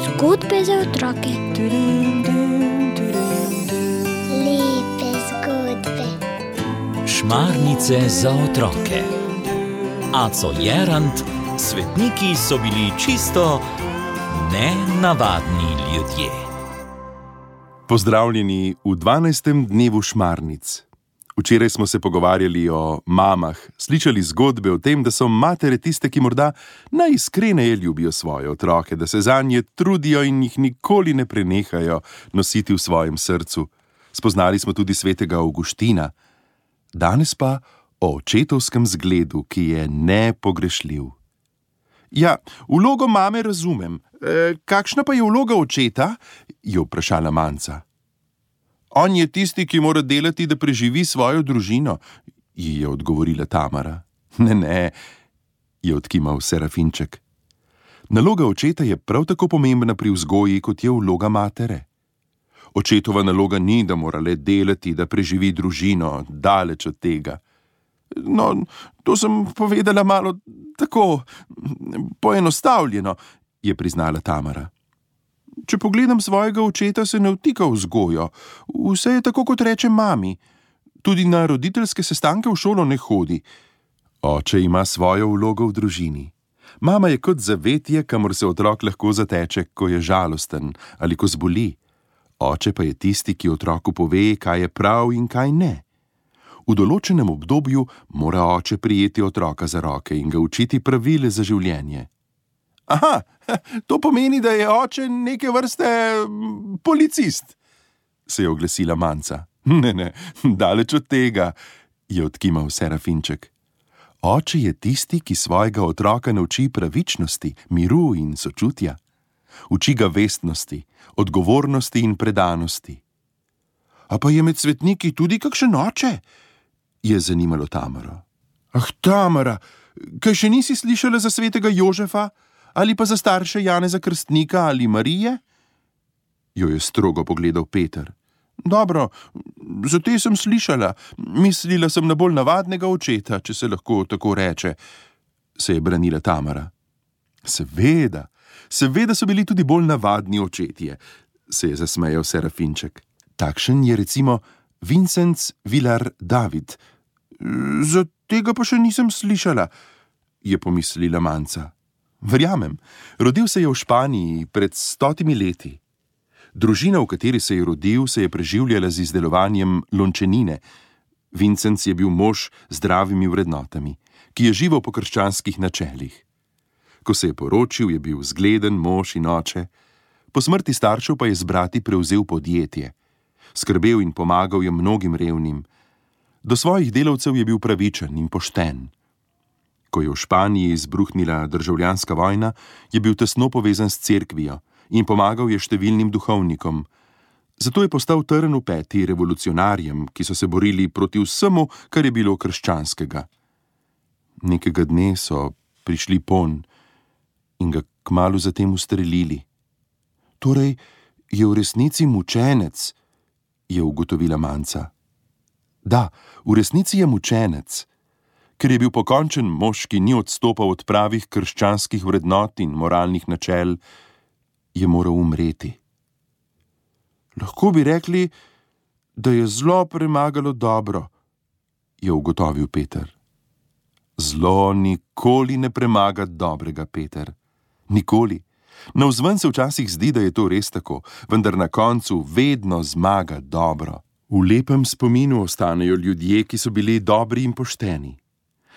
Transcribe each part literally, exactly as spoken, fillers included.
Zgodbe za otroke. Lepe zgodbe. Šmarnice za otroke. Aco Jerant, svetniki so bili čisto nenavadni ljudje. Pozdravljeni v dvanajstem dnevu šmarnic. Včeraj smo se pogovarjali o mamah, slišali zgodbe o tem, da so matere tiste, ki morda najiskreneje ljubijo svoje otroke, da se zanje trudijo in jih nikoli ne prenehajo nositi v svojem srcu. Spoznali smo tudi svetega Avguština. Danes pa o očetovskem zgledu, ki je nepogrešljiv. Ja, vlogo mame razumem. E, kakšna pa je vloga očeta? Je vprašala Manca. On je tisti, ki mora delati, da preživi svojo družino, ji je odgovorila Tamara. Ne, ne, je odkimal Serafinček. Naloga očeta je prav tako pomembna pri vzgoji, kot je vloga matere. Očetova naloga ni, da mora le delati, da preživi družino, daleč od tega. No, to sem povedala malo tako poenostavljeno, je priznala Tamara. Če pogledam svojega očeta, se ne vtika v vzgojo. Vse je tako, kot reče mami. Tudi na roditeljske sestanke v šolo ne hodi. Oče ima svojo vlogo v družini. Mama je kot zavetje, kamor se otrok lahko zateče, ko je žalosten ali ko zboli. Oče pa je tisti, ki otroku pove, kaj je prav in kaj ne. V določenem obdobju mora oče prijeti otroka za roke in ga učiti pravile za življenje. Aha, to pomeni, da je oče neke vrste policist, se je oglasila Manca. Ne, ne, daleč od tega, je odkimal Serafinček. Oče je tisti, ki svojega otroka nauči pravičnosti, miru in sočutja. Uči ga vestnosti, odgovornosti in predanosti. A pa je med svetniki tudi kakšen oče? Je zanimalo Tamaro. Ah, Tamara, kaj še nisi slišala za svetega Jožefa? Ali pa za starše Janeza Krstnika ali Marije? Jo je strogo pogledal Peter. Dobro, za te sem slišala. Mislila sem na bolj navadnega očeta, če se lahko tako reče, se je branila Tamara. Seveda, seveda so bili tudi bolj navadni očetje, se je zasmejal Serafinček. Takšen je recimo Vincenc Vilar David. Za tega pa še nisem slišala, je pomislila Manca. Verjamem, rodil se je v Španiji pred stotimi leti. Družina, v kateri se je rodil, se je preživljala z izdelovanjem lončenine. Vincenc je bil mož z zdravimi vrednotami, ki je živel po krščanskih načelih. Ko se je poročil, je bil zgleden mož in oče. Po smrti staršev pa je z brati prevzel podjetje. Skrbel in pomagal je mnogim revnim. Do svojih delavcev je bil pravičen in pošten. Ko je v Španiji izbruhnila državljanska vojna, je bil tesno povezan s cerkvijo in pomagal je številnim duhovnikom. Zato je postal trn v peti revolucionarjem, ki so se borili proti vsemu, kar je bilo krščanskega. Nekega dne so prišli ponj in ga kmalu zatem ustrelili. Torej je v resnici mučenec, je ugotovila Manca. Da, v resnici je mučenec. Ker je bil pokončen mož, ki ni odstopal od pravih krščanskih vrednot in moralnih načel, je moral umreti. Lahko bi rekli, da je zlo premagalo dobro, je ugotovil Peter. Zlo nikoli ne premaga dobrega, Peter. Nikoli. Navzven se včasih zdi, da je to res tako, vendar na koncu vedno zmaga dobro. V lepem spominu ostanejo ljudje, ki so bili dobri in pošteni.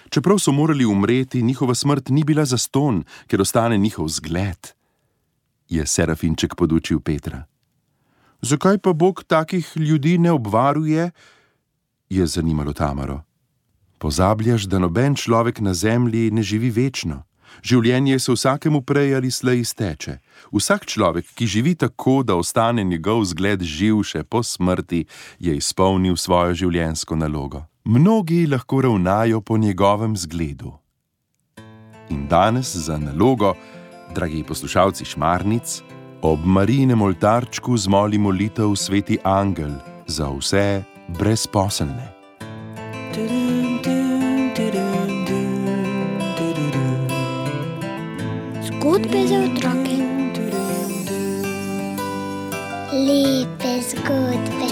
Čeprav so morali umreti, njihova smrt ni bila zastonj, ker ostane njihov zgled, je Serafinček podučil Petra. Zakaj pa Bog takih ljudi ne obvaruje? Je zanimalo Tamaro. Pozabljaš, da noben človek na zemlji ne živi večno. Življenje se vsakemu prej ali slej izteče. Vsak človek, ki živi tako, da ostane njegov zgled živ še po smrti, je izpolnil svojo življenjsko nalogo. Mnogi lahko ravnajo po njegovem zgledu. In danes za nalogo, dragi poslušalci šmarnic, ob Marijinem oltarčku zmoli molitev Sveti Angel za vse brezposelne. Zgodbe za otroke. Lepe zgodbe.